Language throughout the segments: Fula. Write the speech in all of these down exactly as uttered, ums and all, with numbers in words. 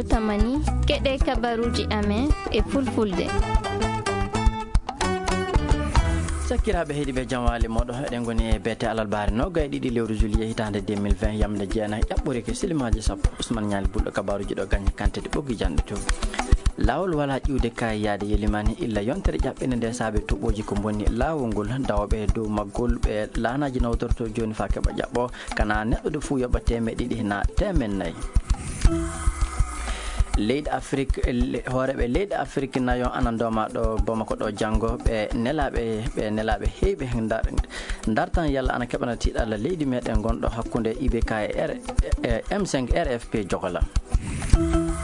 Tamani, keɗe kabaruuji amen e fulfulde. Sakkiraaɓe heɗiiɓe, jam waali mooɗo. Eɗen ngoni e beete alarbaare noogay ɗiɗi lewru juillet hitaande deux mille vingt, yamde jeenayi, ƴaɓɓorike silimaaji sappo. Usman Ñaali Bulɗo, kabaaruuji ɗo gañe kante ɗi ɓoggi janɗe to. Laawol wala ƴiwde kay yaade yelimani illa yontere ƴaɓɓinde nde saabe tuɓɓooji ko mbonni laawol ngol. Dawooɓe dow maggol ɓe laanaaji nawtorto jooni faa keɓa ƴaɓɓo. Kana neɗɗo ɗo fuu yoɓa teemeɗe ɗiɗi na teemeɗe nayi. Leyɗe Afrik, le-, hooreeɓe leyɗe Afrik nayo ana ndooma ɗo Bamako ɗo janngo, ɓe nelaaɓe, ɓe nelaaɓe heewɓe ndar-, ndartan yalla ana keɓana tiiɗalla leydi meɗen ngonɗo hakkunde I B K e R-, e M cinq R F P Jogola.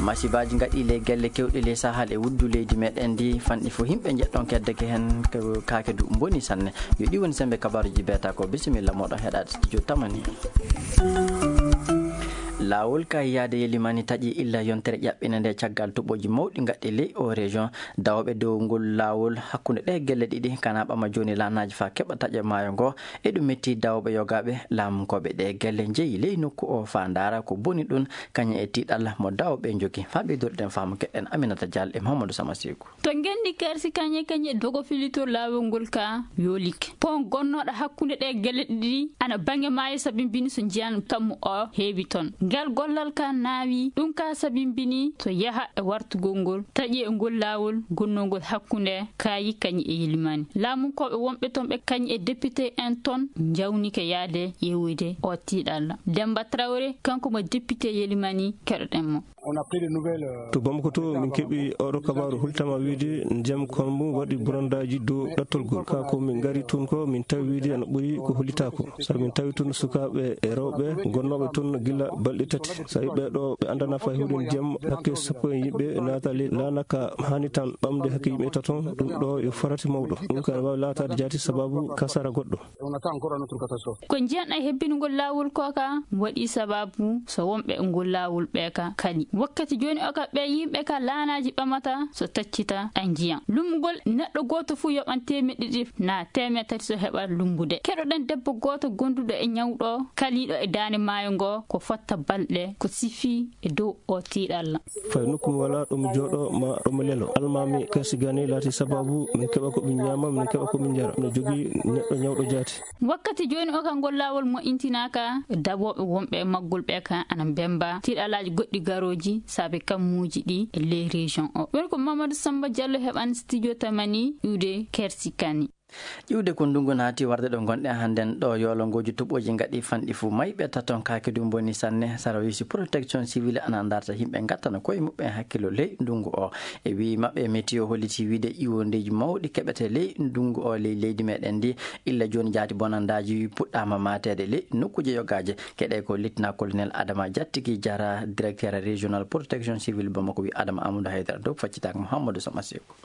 Masibaaji ngaɗi ley gelle kewɗe ley Sahel e wuddu leydi meɗen ndi, fanɗi fof yimɓe njeɗɗon keddeke heen ko kaake du mboni sanne. Yo ɗi woni sembe kabaaruuji beeta ko. Bisimilla moɗon heɗaade studio Tamani. Laawol kay yaade yelimani taƴi illa yontere ƴaɓɓinde nde caggal toɓoji mawɗi ngaɗɗi ley o région. Dawooɓe dow ngol laawol hakkunde ɗe gelle ɗiɗi kana ɓama jooni laanaaji faa keɓa taƴa maayo ngo. E ɗum metti dawooɓe yogaaɓe laamunkooɓe ɗe gelle njeyi ley nokku o faa ndaara ko boni ɗum kañum e tiiɗalla mo dawooɓe njogi. Faa ɓeydorɗen faamu keɗen Aminata Dial e Mahamadou Sama Seeku. To ngenndi kersi kañe kañe dogo filito laawol ngol ka yoolike. Pon gonnooɗo hakkunde ɗe gelle ɗiɗi ana baŋnge maayo sabimbini so njiyan kammu o heewi toon. Ngel gollal ka naawi, ɗum ka sabimbini so yaha e wartugol ngol, taƴi e ngol laawol gonnongol hakkunde kaayi kañi e yilimaani. Laamunkooɓe wonɓe toon ɓe kañi e député en toon njawnike yaade ƴeewoyde o tiiɗalla. Demba Traoré, kanko mo député yelimaani, keɗoɗen mo. To Bamako to, min keɓi oɗo kabaaru hultama wiide ndiyam Konbu waɗi burandaaji dow ɗattolgol. Ka ko min ngari tun ko, min tawi wiide ana ɓuri ko hollitaako. Sabu min tawi tun sukaaɓe e rewɓe gonnooɓe tun gila balɗe tati. Sabu ɓee ɗo ɓe anndanaa fay huɗo ndiyam, hakke sappo e yimɓe naata ley laana ka haani tan ɓamde hakke yimɓe taton. Ɗum ɗo yo farati mawɗo. Ɗum ka ana waawi laataade jaati sababu kasara goɗɗo. Ko njiyan e hebbinugol laawol ko ka waɗi sababu so wonɓe ngol laawol ɓe ka kali. Wakkati jooni o ka ɓe yimɓe ka laanaaji ɓamata so taccita a njiyan. Lumgol neɗɗo gooto fuu yoɓan teemeɗe ɗiɗi na teemeɗe tati so heɓa lumbude. Keɗoɗen debbo gooto gonduɗo e ñawɗo kaliiɗo e daande maayo ngo ko fotta balɗe ko sifi e dow o tiiɗalla. Fay nokku mi wala ɗo mi jooɗo ma ɗo mi lelo. Almaami kersi gani laati sababu min keɓa ko min ñaama, min keɓa ko min njara. No jogii neɗɗo ñawɗo jaati. Wakkati jooni o ka ngol laawol mo intinaaka, dawooɓe wonɓe e maggol ɓe ka ana mbemba tiiɗalaaji goɗɗi garooji saabe kammuuji ɗi e ley région o. Ɗum ko Mamadou Samba Diallo heɓan studio Tamani iwde kersi kani. Ƴiwde ko ndunngu naati warde ɗo ngonɗen hannden ɗo yoolongooji toɓooji ngaɗi fanɗi fuu mayɓe taton kaake du mboni sanne. Sarawisi protection civile ana ndarta yimɓe ngattana koye muɓɓen hakkillo ley ndunngu o. E wii maɓɓe, météo holliti wiide ƴiwondeeji mawɗi keɓete ley ndunngu o ley leydi meɗen ndi. Illa jooni jaati bonandaaji puɗɗaama maateede ley nokkuuje yogaaje. Keɗe ko lieutenant colonel Adama Jattigi Jara, directeur régional protection civile Bamako, wi Adama Amadou Haydara dow faccitaaka Mouhamadou Sama Seeku.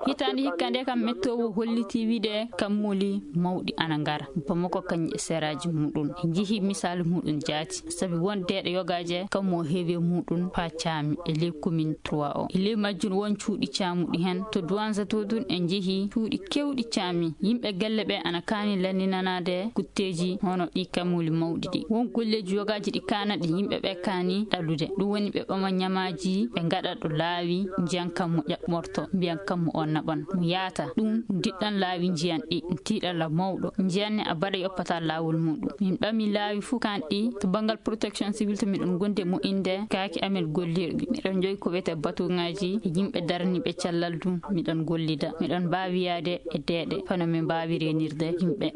Hitaande hikka nde kam, météo holliti wiide kammuuli mawɗi ana ngara Bamako kañum e seraaji muɗum. En njihii misaalu muɗum jaati, sabi won deeɗe yogaaje kammu o heewi e muɗum faa caami e ley commune trois o. E ley majjum won cuuɗi caamuɗi heen. To Douentza to ɗum en njehii cuuɗi keewɗi caami. Yimɓe galle ɓe ana kaani lanndinanaade kutteeji hono ɗi kammuuli mawɗi ɗi. Won golleeji yogaaji ɗi kaana ɗi yimɓe ɓe kaani ɗalude. Ɗum woni ɓe ɓama ñamaaji, ɓe ngaɗa ɗo laawi, njiyan kammu ƴaɓɓorto, mbiyan kammu o naɓan, mo yaata. Ɗum diɗɗan laawi njiyan ɗi, tiiɗalla mawɗo. Njiyan ne a baɗa yoppataa laawol muɗum. Min ɓami laawi fuu kaan ɗi, to banngal protection civile to miɗon ngondi e moƴƴinde kaaki amen gollirɗi. Miɗon njogi ko wiyetee batuŋaaji e yimɓe daraniiɓe cellal ɗum, miɗon gollida. Miɗon mbaawi yaade e deeɗe, hono min mbaawi reenirde yimɓe.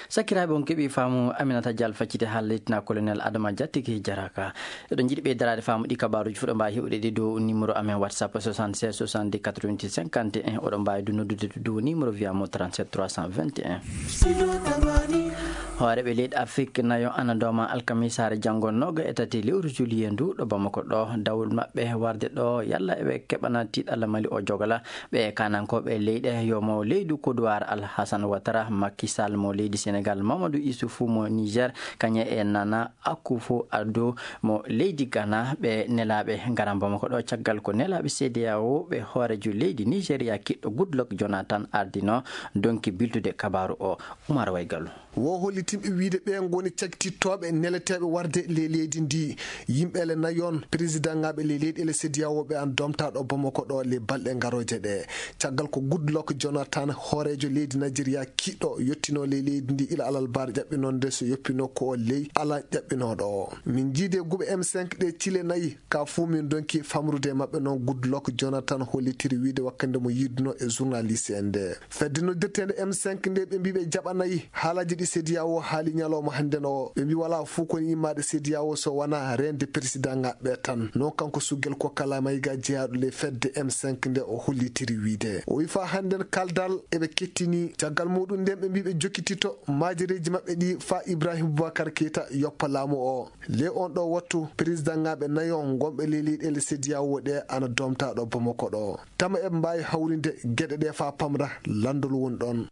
Sakiraaɓe, on keɓii faamu Aminata Dial faccite haalde lieutenant colonel Adama Jattigi Jaraka. Eɗon njiɗi ɓeydaraade faamu ɗi kabaaruuji fuu, ɗo mbaawi heɓude ɗi dow numéro amen WhatsApp soixante-seize soixante-dix quatre-vingt-dix cinquante et un. Oɗon mbaawi du noddude dow numéro via mo trente-sept trois cent vingt et un. Hooreeɓe leyɗe Afrik nayo ana ndooma alkamisaare janngo nooga e tati lewru juillet ndu ɗo Bamako ɗo. Dawol maɓɓe warde ɗo yalla eɓe keɓana tiiɗalla Mali o jogala. Ɓe kanankooɓe leyɗe yo mo leydu Kodowar Alhassane Ouattara, Macky Sall mo leydi Senegal, Mamadou Issoufou mo Niger, kañum e Nana Akufo-Addo mo leydi Ghana, ɓe nelaaɓe ngaran Bamako ɗo, caggal ko nelaaɓe C D A O ɓe hooreejo leydi Nigeria kiɗɗo Goodluck Jonathan ardino donki biltude kabaaru o. Umar Waygalu. Wo hollitinɓe wiyde ɓe ngoni cagtittooɓe neleteeɓe warde ley leydi ndi. Yimɓe ele nayon, présidentŋaaɓe ley leyɗeele C D A O ɓe an domtaaɗo Bamako ɗo ley balɗe ngarooje ɗe. Caggal ko Goodluck Jonathan, hooreejo leydi Nigeria kiɗɗo, yottinoo ley leydi ndi ila alarba ƴaɓɓinoo nde, so yoppinoo ko o ley alarba ƴaɓɓinooɗo o. Min njiidi e guuɓe M cinq ɗe cile nayi, ka fuu min ndonki famrude e maɓɓe noon, Goodluck Jonathan hollitiri wiyde wakkati nde mo yiidunoo e journaliste en nde. Fedde noddirteende M cinq nde, ɓe mbii ɓe jaɓanayi haalaaji ɗi C D A O haali ñalawma hannden o. Ɓe mbii walaa fof ko woni immaade C D A O so wonaa reende présidentŋaaɓe ɓe tan. Noon kanko Sugel Kokala Mayiga jeyaaɗo ley fedde M cinq nde o hollitiri wiyde. O wii faa hannden kaldal eɓe kettini. Caggal muuɗum nden ɓe mbii ɓe jokkitito maajereeji maɓɓe ɗi faa Ibrahim Boubacar Keita yoppa laamu o. Ley on ɗo wattu, présidentŋaaɓe nayo ngonɓe ley leyɗeele C D A O ɗe ana domtaaɗo Bamako ɗo. Tama eɓe mbaawi hawrinde geɗe ɗe faa pamra lanndol woni ɗon.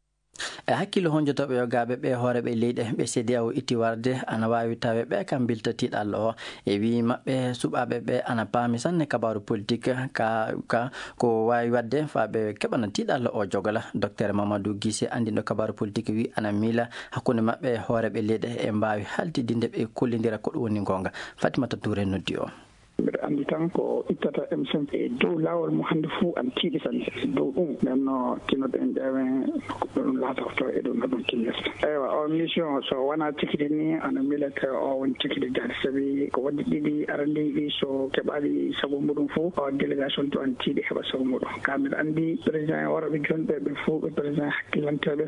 E hakkillo honjotooɓe yogaaɓe ɓe hooreeɓe leyɗe ɓe C D A O itti warde ana waawi tawe ɓe kam bilta tiiɗallo o. E wii maɓɓe suɓaaɓe ɓe ana paami sanne kabaaru politik ka, ka ko waawi waɗde faa ɓe keɓana tiiɗallo o jogala. Docteur Mamadou Guissé, anndinɗo kabaaru politik, wii ana miila hakkunde maɓɓe e hooreeɓe leyɗe e mbaawi haltidinde ɓe kollindira ko ɗum woni goonga. Fatimata Touré noddi o. Mbiɗa anndi tan ko ittata M cinq e dow laawol mo hannde fuu an tiiɗi sanne. Dow ɗum, nden no tinnoɗen ƴeewen ko ɗum laatorto e ɗum no ɗum tinnirta. Eywa, o mission so wonaa tikiti ni, ana miilete o won tikiti jaati, sabi ko waɗi ɗiɗi arandiiɗi, so keɓaali sago muɗum fuu, o délégation to an tiiɗi heɓa sago muɗum. Ka mbiɗa anndi président en worɓe jooni ɓe, ɓe fuu ɓe président hakkilantooɓe,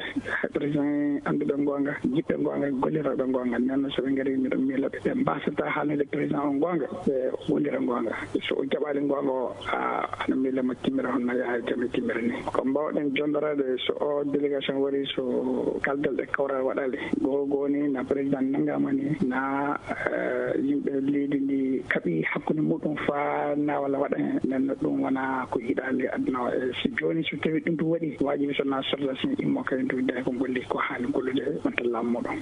président annduɓe goonga, jiɗɓe goonga, gollirooɓe goonga. Nden noon, so ɓe ngarii, miɗo miila ɓe, ɓe mbaasataa haalnude président on goonga, ɓe wondira goonga. So o jaɓaali goonga o, a, ana miila mo timmira hono no yaha e jam e timmira ni. Ko mbaawɗen jonnoraade, so o délégation warii, so kaldal e kawral waɗaali, goo goo ni, na président nanngaama ni, na, eh, yimɓe leydi ndi kaɓi hakkunde muɗum faa naawal waɗa heen. Nden noon, ɗum wonaa ko yiɗaali aduna o. E si jooni, so tawii ɗum ɗum waɗi, waajibi so na sorda si immo kadi ndu nde ko golli ko haani gollude e ɓantal laamu muɗum.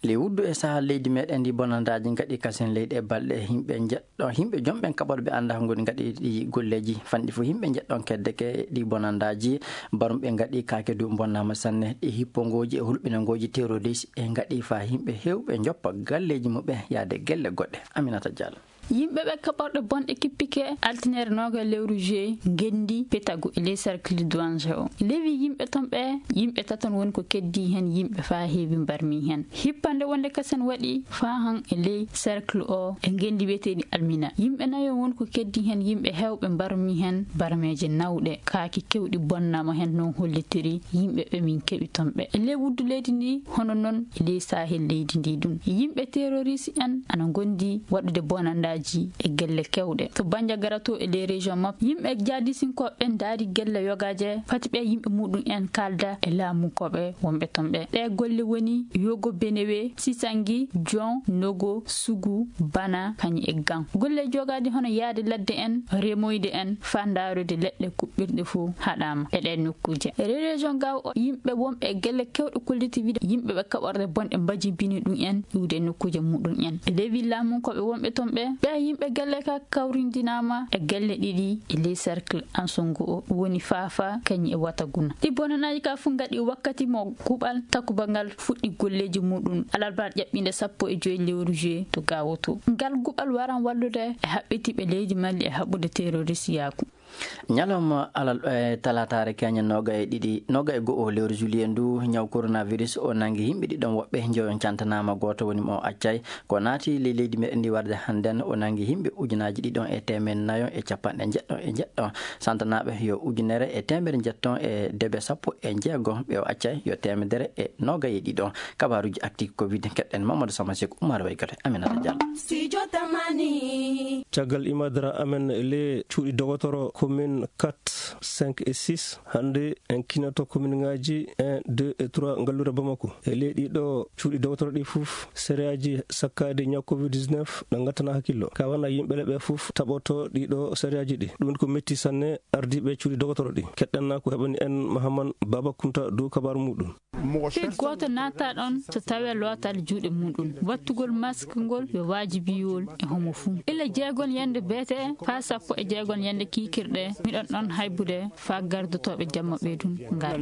Ley wuddu e sahaa leydi meɗen ndi bonandaaji ngaɗi kasen leyɗe e balɗe, yimɓe njeɗɗo, yimɓe jomɓen kaɓorɓe annda ko ngoni ngaɗi ɗi golleeji fanɗi fof, yimɓe njeɗɗon kedde ke ɗi bonandaaji, barumɓe ngaɗi kaake du bonnaama sanne, ɗi hippongooji e hulɓinangooji terroriste e ngaɗi faa yimɓe heewɓe njoppa galleeji muɓɓen yaade gelle goɗɗe. Aminata Diallo. Yimɓe ɓe kaɓorɗe bonɗe kippike, altine noogaye lewru juillet, ngenndi Petagu e ley cercle Douange o. Lewi yimɓe ton ɓe, yimɓe taton woni ko keddii heen yimɓe faa heewi mbarmii heen. Hippande wonde kasen waɗi faa han e ley cercle o e ngenndi wiyeteeɗi Almina. Yimɓe nayo woni ko keddii heen yimɓe heewɓe mbarmii heen barmeeje nawɗe, kaaki keewɗi bonnaama heen, noon hollitiri yimɓe ɓe min keɓi ton ɓe. E ley wuddu leydi ndi, hono noon e ley sahel leydi ndi ɗum. Yimɓe terroriste en ana ngondi waɗude bonandaaji e gelle keewɗe. To Bandiagara to e ley région maɓɓe, yimɓe jihadisinkooɓe ɓen ndaari gelle yogaaje, fati ɓe yimɓe muɗum en kaalda e laamunkooɓe wonɓe ton ɓe. Ɗe golle woni Yogo Benewe, Sisangi, Jon, Nogo, Sugu, Bana, kañum e Gan. Golle jogaaɗi hono yaade ladde en, remoyde en, faa ndaarude leɗɗe kuɓɓirɗe fof haɗaama e ɗee nokkuuje. E région Gao o, yimɓe wonɓe e gelle keewɗe kolliti wiyde yimɓe ɓe kaɓorɗe bonɗe mbajimbini ɗum en iwde e nokkuuje muɗum en. E ley laamunkooɓe wonɓe ton ɓe, ɓe yimɓe gelle ka kawrindinaama e gelle ɗiɗi e ley cercle Ansongo o, woni Fafa kañum e Wataguna. Ɗi bonanaaji ka fof ngaɗi wakkati mo kuɓal takuba ngal fuɗɗi golleeji muɗum alarba ƴaɓɓiinde sappo e joy lewru juillet to Gao to. Ngal guɓal waran wallude e haɓɓitiiɓe leydi Mali e haɓɓude terroristiyaaku. Ñalawma alal, e talaataare keñen nooga e ɗiɗi, nooga e go'o lewru juillet ndu, ñaw coronavirus o nanngi yimɓe ɗiɗon, woɓɓe njoyon cantanaama, gooto woni mo accay. Ko naati ley leydi meɗen ndi warde hannden, o nanngi yimɓe ujunaaji ɗiɗon e teemeɗɗe nayo e capanɗe njeɗɗo e njeɗɗo. Santanaaɓe yo ujunere e teemedere njeɗɗon e debe sappo e jeego, ɓe o accay yo teemedere e nooga e ɗiɗon. Kabaaruuji actu covid, keɗɗen Mamadou Samasek, Oumar Waygato, Aminata Diallo. Studio Tamani. Caggal imadara amen le cuuɗi dogotoro commune quatre, cinq et six, hannde en kinoto commune ngaji un, deux et trois ngalluure Bamako. E ley ɗiɗo cuuɗi dogotoro ɗi fof, sérieji sakkaade ñaw covid dix-neuf ɗo ngattana hakkillo. Ka wana yimɓe le ɓe fof taɓoto ɗiɗo sérieji ɗi. Ɗum ko metti sanne ardiiɓe cuuɗi dogotoro ɗi. Keɗɗen na ko heɓani en Mahaman Baba Kunta dow kabaaru muɗum. Fii gooto naata ɗon so tawee lootal juuɗe muɗum. Wattugol mask ngol yo waajibiwol e homo fuu. Ila jeegon yande beete faa sappo e jeegon yande kiikirɗe, miɗon ɗon haybude faa gardotooɓe jamma ɓeydun ngara.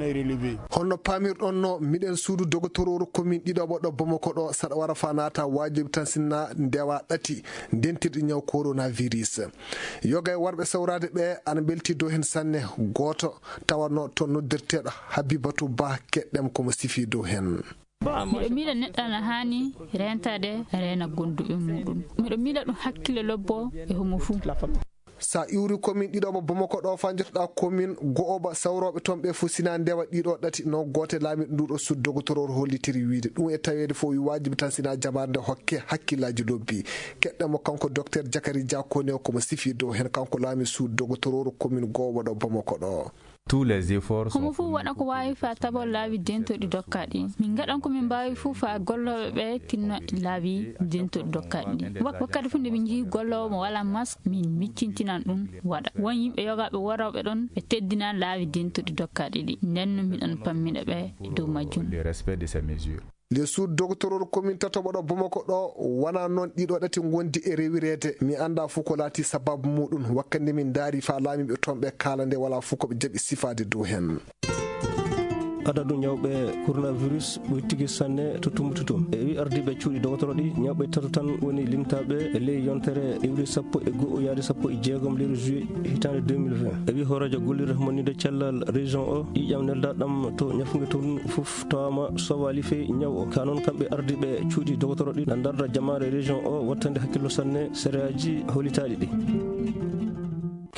Honno paamirɗon no miɗen suudu dogotorooru komin ɗiɗaɓo ɗo Bamako ɗo, saɗa wara faa naata waajibi tan sinna ndewa ɗati dentirɗi ñaw coronavirus. Yoga e warɓe sawraade ɓe ana mbelti dow heen sanne. Gooto tawanno toon noddirteeɗo Habibatu Ba, keɗɗem ko mo sifi dow heen. Miɗo miila neɗɗo ana haani reentaade, reena gonduɓe muɗum. Miɗo miila ɗum hakkille lobbo e homo fuu. Sa iwri komin ɗiɗo mo Bamako ɗo, faa njotoɗaa komin go'oɓa sawrooɓe toon ɓe fof, sina ndewa ɗiɗo ɗati no goote laamiiɗo nduɗo sud dogotoroor hollitiri wiide. Ɗum e taweede fof wi waajibi tan sina jabaade nde hokke hakkillaaji lobbi. Keɗɗen mo kanko Docteur Jakari Dia Kone, ko mo sifi dow heen, kanko laami sud dogotoroor komin go'oɓa ɗo Bamako ɗo. Tous les efforts homo sont fof fournis waɗa ko pour waawi faa taboo laabi dentoɗi dokkaaɗi. Min ngaɗan ko min mbaawi fof faa gollooɓe ɓe tinno laabi dentoɗi dokkaaɗi ɗi. Wak-, wakkati fof nde min njii golloowo mo walaa mask, min miccintinan ɗum waɗa. Won yimɓe yogaaɓe worooɓe ɗon, ɓe teddinaa laabi dentoɗi dokkaaɗi ɗi. Nden no miɗan pammina ɓe e dow majjum. Le respect de ces mesures. Le sud dogotoroor komin tatoɓo ɗo Bamako ɗo, wonaa noon ɗiɗo ɗati ngondi e rewireede. Mi anndaa fof ko laatii sabaabu muɗum. Wakkati nde min ndaari faa laamiiɓe toon ɓe kaala nde, walaa fof ko ɓe jaɓi sifaade dow heen. Adadu ñawɓe coronavirus ɓuri tigi sanne to Tumbutu to. E wi ardiiɓe cuuɗi dogotoro ɗi, ñawɓe tato tan woni limtaaɓe e ley yontere iwri sappo e go'o yaade sappo e jeegom lewru juillet hitaande deux mille vingt. E wi hooreejo gollirde monnide cellal région o, ƴiiƴam neldaɗam to ñafunge toon fof tawaama sowaali fee ñaw o. Ka noon kamɓe ardiiɓe cuuɗi dogotoro ɗi na ndarda jamaare région o wattande hakkillo sanne sereyaaji holitaaɗi ɗi.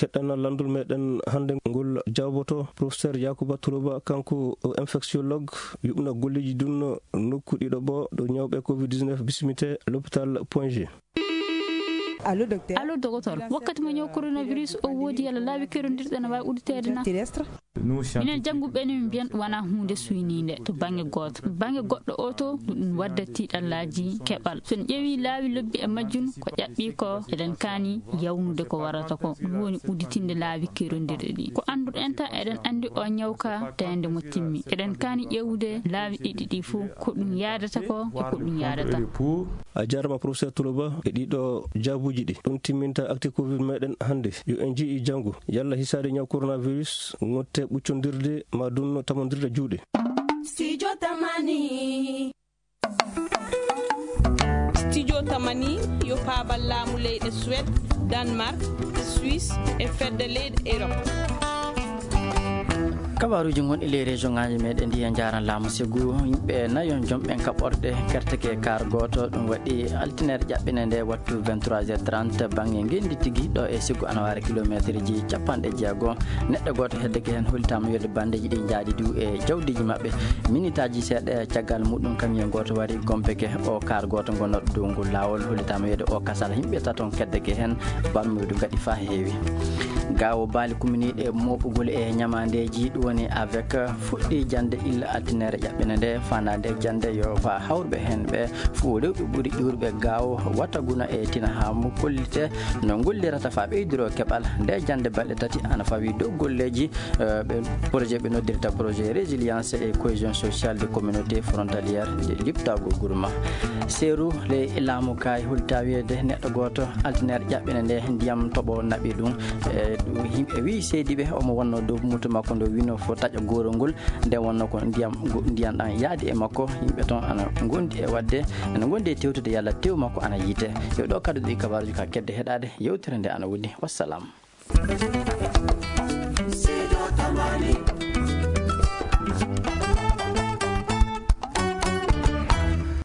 Keɗɗana lanndol meɗen hannde ngol jawboto professeur Yakuba Turuba, kanko o infectiologue, yuɓna golleeji ɗin nokku ɗiɗo ɓo ɗo ñawɓe covid dix-neuf bisimite l'hôpital Point G. Allo, docteur. Allo, dogotor. Wakkati mo ñaw coronavirus o woodi, yalla laabi kerondirɗi ana waawi udditeede na? Terrestre. Minen jannguɓe ɓe ne, min mbiyan ɗum wonaa huunde suyniinde to bannge gooto. Bannge goɗɗo o to, ɗum wadda tiiɗallaaji keɓal. So en ƴeewi laawi lobbi e majjum, ko ƴaɓɓi ko, eɗen kaani yawnude ko warata ko. Ɗum woni udditinde laabi kerondirɗi ɗi. Ko annduɗen tan, eɗen anndi o ñaw ka, teende mo timmi. Eɗen kaani ƴeewde laabi ɗiɗi ɗi fof, ko ɗum yaadata ko e ko ɗum yaadata. A jaaraama, professeur Toloba, e ɗiɗo jaabuuji ɗi. Ɗum timminta acte covid meɗen hannde. Yo en njii janngo yalla hisaade ñaw coronavirus, ngotte ɓuccondirde ma dunno tamondirde juuɗe. Studio Tamani. Studio Tamani yo paabal laamu leyɗe Suède, Danemark, Suisse e fedde leyɗe Europe. Kabaaruuji ngonɗi ley région ŋaaji meɗen ɗi e njaaran laamu sigu. Yimɓe nayon jomɓen kaɓorɗe kerteke kaar gooto. Ɗum waɗi altineere ƴaɓɓine nde wattu vingt-trois heures trente bannge ngenndi tigi ɗo e sigu ana waara kilomeeterji capanɗe jeego. Neɗɗo gooto heddeke heen, hollitaama wiyde bandeeji ɗi njaadi du e jawdiiji maɓɓe. Minitaaji seeɗa caggal muɗum, camion gooto wari gompeke o kaar gooto ngonnoɗo dow ngol laawol. Hollitaama wiyde o kasal yimɓe taton keddeke heen, barmuydu gaɗi faa heewi. Gaawo baali kuminiiɗe mooɓugol e ñamaandeeji, ɗum woni avec, fuɗɗii jannde illa altineere ƴaɓɓine nde. Faandaade jannde yo faa hawruɓe heen ɓe fof rewɓe ɓuri ƴuurɓe gaawo wata guna e tina haa mo kollite no ngollirata faa ɓeydiro keɓal. Nde jannde balɗe tati ana fawii dow golleeji, eh, ɓe projet ɓe noddirta projet résilience et cohésion sociale de communauté frontalière de Liptaago Gurma. Seeru le laamu kaay holta wiyeede neɗɗo gooto altineere ƴaɓɓine nde ndiyam toɓo naɓi ɗum. E ɗum yimɓe wi seydi ɓe omo wonno dow moto makko ndo wino fo taƴa goorol ngol. Nde wonno ko ndiyam, ngo-, ndiyam ɗam yaadi e makko. Yimɓe toon ana ngondi e waɗde, ana ngondi e tewtude yalla tew makko ana yiite. Yo ɗo kaddu ɗi kabaaruji ka kedde heɗaade. Yewtere nde ana woni. Wassalam.